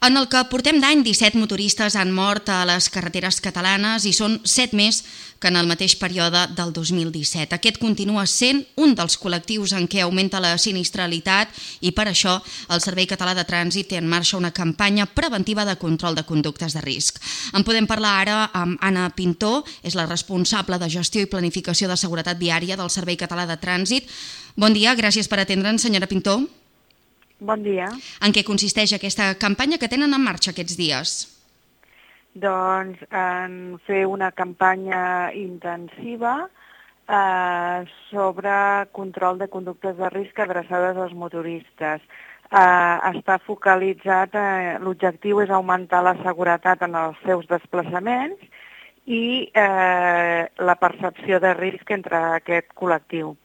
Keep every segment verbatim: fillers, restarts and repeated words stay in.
En el que portem d'any, disset motoristes han mort a les carreteres catalanes i són set més que en el mateix període del dos mil disset. Aquest continua sent un dels col·lectius en què augmenta la sinistralitat i per això el Servei Català de Trànsit té en marxa una campanya preventiva de control de conductes de risc. En podem parlar ara amb Anna Pintó, és la responsable de gestió i planificació de seguretat viària del Servei Català de Trànsit. Bon dia, gràcies per atendre'ns, senyora Pintó. Bon dia. En què consisteix aquesta campanya que tenen en marxa aquests dies? Doncs en fer una campanya intensiva eh, sobre control de conductes de risc adreçades als motoristes. Eh, està focalitzat, eh, l'objectiu és augmentar la seguretat en els seus desplaçaments i eh, la percepció de risc entre aquest col·lectiu.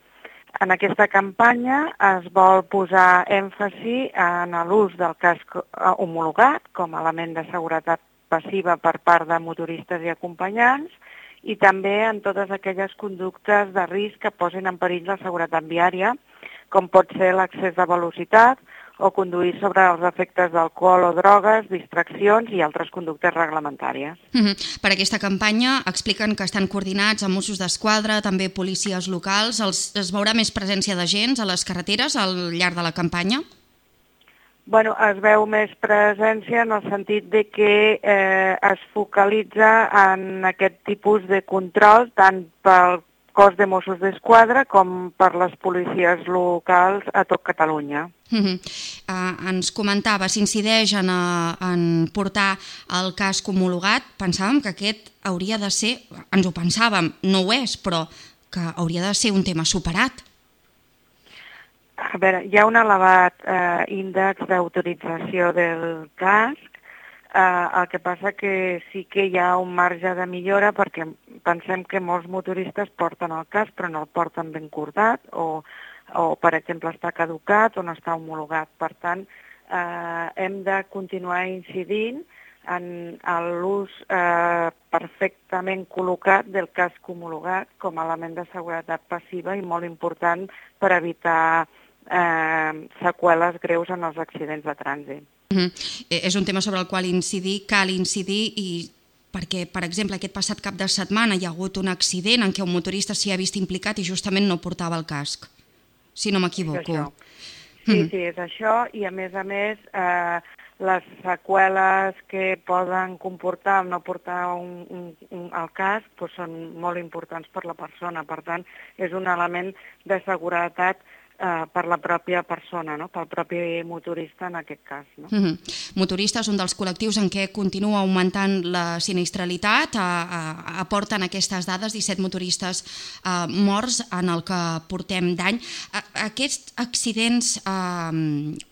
En aquesta campanya es vol posar èmfasi en l'ús del casc homologat com a element de seguretat passiva per part de motoristes i acompanyants i també en totes aquelles conductes de risc que posin en perill la seguretat viària, com pot ser l'accés de velocitat o conduir sobre els efectes d'alcohol o drogues, distraccions i altres conductes reglamentàries. Uh-huh. Per aquesta campanya expliquen que estan coordinats amb Mossos d'Esquadra, també policies locals. Els, es veurà més presència d'agents a les carreteres al llarg de la campanya? Bueno, es veu més presència en el sentit de que eh, es focalitza en aquest tipus de control tant pel cos de Mossos d'Esquadra com per les policies locals a tot Catalunya. Uh-huh. Uh, ens comentava, s'incideix en, uh, en portar el casc homologat. Pensàvem que aquest hauria de ser, ens ho pensàvem, no ho és, però que hauria de ser un tema superat. A veure, hi ha un elevat eh, índex d'autorització del casc, eh, el que passa que sí que hi ha un marge de millora perquè pensem que molts motoristes porten el casc però no el porten ben cordat o, o per exemple, està caducat o no està homologat. Per tant, eh, hem de continuar incidint en l'ús eh, perfectament col·locat del casc homologat com a element de seguretat passiva i molt important per evitar eh, seqüeles greus en els accidents de trànsit. Uh-huh. És un tema sobre el qual incidir, cal incidir i perquè, per exemple, aquest passat cap de setmana hi ha hagut un accident en què un motorista s'hi ha vist implicat i justament no portava el casc, si no m'equivoco. Sí, uh-huh. sí, és això i a més a més eh, les seqüeles que poden comportar el no portar un, un, un, el casc doncs són molt importants per la persona, per tant és un element de seguretat eh, per la pròpia persona, no? Pel propi motorista en aquest cas. No? Uh-huh. Motoristes, un dels col·lectius en què continua augmentant la sinistralitat, a, a, aporten aquestes dades, disset motoristes uh, morts en el que portem d'any. A, aquests accidents uh,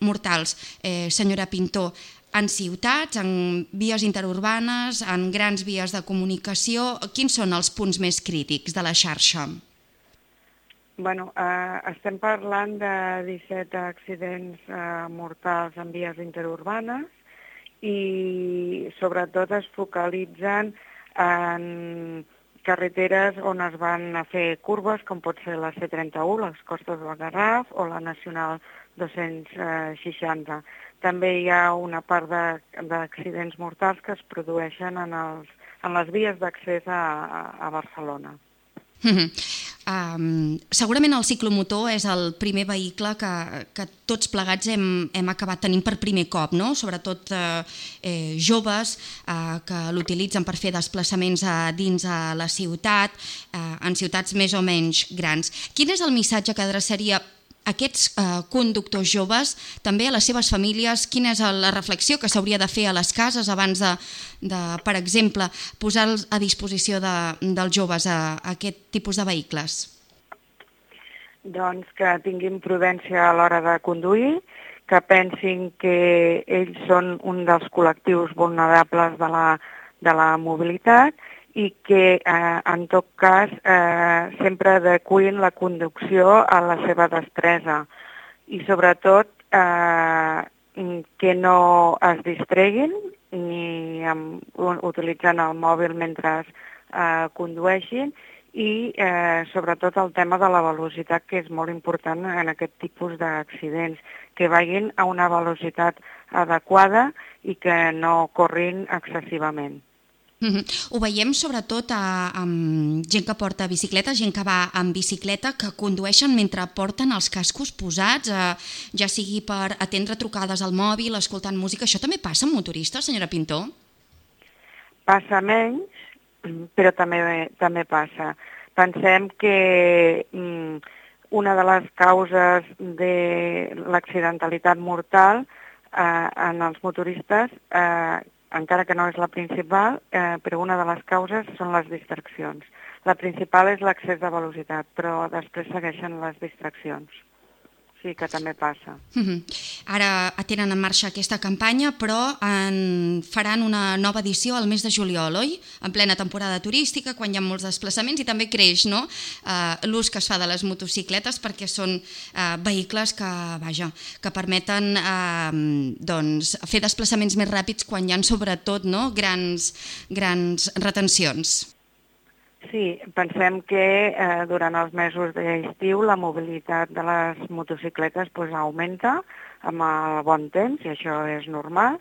mortals, eh, senyora Pintó, en ciutats, en vies interurbanes, en grans vies de comunicació, quins són els punts més crítics de la xarxa? Bueno, eh, estem parlant de disset accidents eh, mortals en vies interurbanes i sobretot es focalitzen en carreteres on es van a fer curves, com pot ser la C trenta-u, les Costes del Garraf, o la Nacional dos-cents seixanta. També hi ha una part d'accidents mortals que es produeixen en, els, en les vies d'accés a, a Barcelona. Uh-huh. Um, segurament el ciclomotor és el primer vehicle que, que tots plegats hem, hem acabat tenint per primer cop, no? Sobretot eh, eh, joves eh, que l'utilitzen per fer desplaçaments a dins a la ciutat, eh, en ciutats més o menys grans. Quin és el missatge que adreçaria aquests eh, conductors joves, també a les seves famílies? Quina és la reflexió que s'hauria de fer a les cases abans de, de per exemple, posar a disposició de, dels joves a, a aquest tipus de vehicles? Doncs que tinguin prudència a l'hora de conduir, que pensin que ells són un dels col·lectius vulnerables de la, de la mobilitat i que, eh, en tot cas, eh, sempre adecuïn la conducció a la seva destresa i, sobretot, eh, que no es distreguin ni amb, utilitzant el mòbil mentre eh, condueixin i, eh, sobretot, el tema de la velocitat, que és molt important en aquest tipus d'accidents, que vagin a una velocitat adequada i que no corrin excessivament. Mm-hmm. Ho veiem sobretot a, amb gent que porta bicicleta, gent que va amb bicicleta, que condueixen mentre porten els cascos posats, eh, ja sigui per atendre trucades al mòbil, escoltant música. Això també passa amb motoristes, senyora Pintó? Passa menys, però també, també passa. Pensem que mm, una de les causes de l'accidentalitat mortal eh, en els motoristes eh, encara que no és la principal, eh, però una de les causes són les distraccions. La principal és l'excés de velocitat, però després segueixen les distraccions. Sí que també passa. Mm-hmm. Ara tenen en marxa aquesta campanya, però en faran una nova edició al mes de juliol, oi? En plena temporada turística, quan hi ha molts desplaçaments, i també creix, no?, eh, l'ús que es fa de les motocicletes, perquè són eh, vehicles que, vaja, que permeten eh, doncs, fer desplaçaments més ràpids quan hi ha, sobretot, no?, grans, grans retencions. Sí, pensem que eh, durant els mesos d'estiu la mobilitat de les motocicletes pues, augmenta amb el bon temps, i això és normal,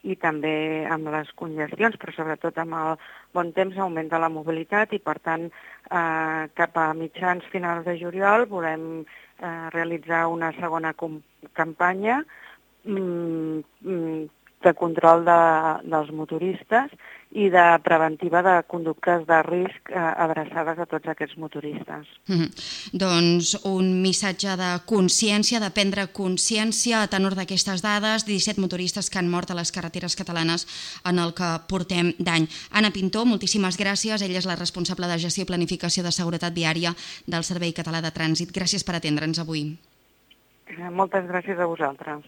i també amb les congestions, però sobretot amb el bon temps augmenta la mobilitat i, per tant, eh, cap a mitjans finals de juliol volem eh, realitzar una segona campanya mm, mm, de control de, dels motoristes i de preventiva de conductes de risc eh, adreçades a tots aquests motoristes. Mm-hmm. Doncs un missatge de consciència, de prendre consciència a tenor d'aquestes dades, disset motoristes que han mort a les carreteres catalanes en el que portem d'any. Anna Pintó, moltíssimes gràcies. Ella és la responsable de gestió i planificació de seguretat viària del Servei Català de Trànsit. Gràcies per atendre'ns avui. Eh, moltes gràcies a vosaltres.